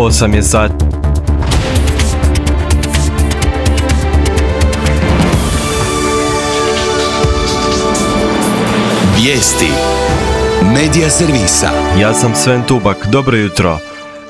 8 je sati. Vijesti Medija servisa. Ja sam Sven Tubak, dobro jutro.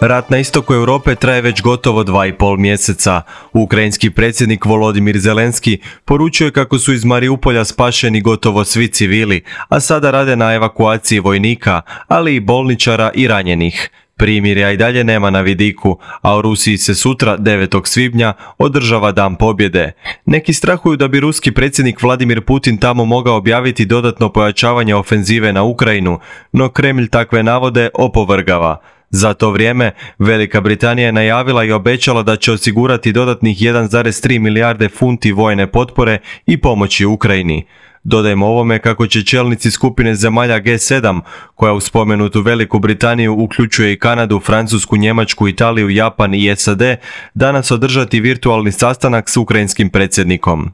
Rat na istoku Europe traje već gotovo 2,5 mjeseca. Ukrajinski predsjednik Volodimir Zelenski poručio je kako su iz Mariupolja spašeni gotovo svi civili, a sada rade na evakuaciji vojnika, ali i bolničara i ranjenih. Primirja i dalje nema na vidiku, a u Rusiji se sutra, 9. svibnja, održava Dan pobjede. Neki strahuju da bi ruski predsjednik Vladimir Putin tamo mogao objaviti dodatno pojačavanje ofenzive na Ukrajinu, no Kremlj takve navode opovrgava. Za to vrijeme, Velika Britanija je najavila i obećala da će osigurati dodatnih 1,3 milijarde funti vojne potpore i pomoći Ukrajini. Dodajmo ovome kako će čelnici skupine zemalja G7, koja u spomenutu Veliku Britaniju uključuje i Kanadu, Francusku, Njemačku, Italiju, Japan i SAD, danas održati virtualni sastanak s ukrajinskim predsjednikom.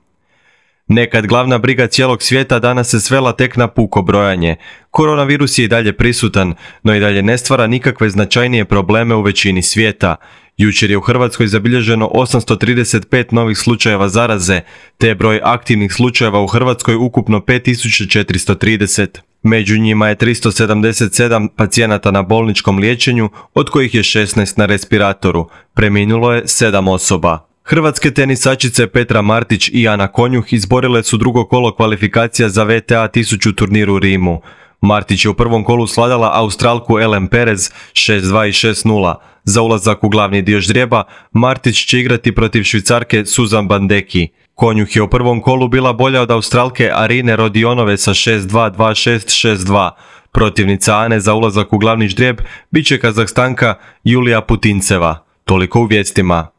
Nekad glavna briga cijelog svijeta danas se svela tek na puko brojanje. Koronavirus je i dalje prisutan, no i dalje ne stvara nikakve značajnije probleme u većini svijeta. Jučer je u Hrvatskoj zabilježeno 835 novih slučajeva zaraze, te je broj aktivnih slučajeva u Hrvatskoj ukupno 5430. Među njima je 377 pacijenata na bolničkom liječenju, od kojih je 16 na respiratoru. Preminulo je 7 osoba. Hrvatske tenisačice Petra Martić i Ana Konjuh izborile su drugo kolo kvalifikacija za WTA 1000 turnir u Rimu. Martić je u prvom kolu svladala Australku Ellen Perez 6-2 i 6-0. Za ulazak u glavni dio ždrijeba, Martić će igrati protiv Švicarke Suzan Bandeki. Konjuh je u prvom kolu bila bolja od Australke Arine Rodionove sa 6-2, 2-6, 6-2. Protivnica Ane za ulazak u glavni ždrijeb bit će Kazahstanka Julija Putinceva. Toliko u vijestima.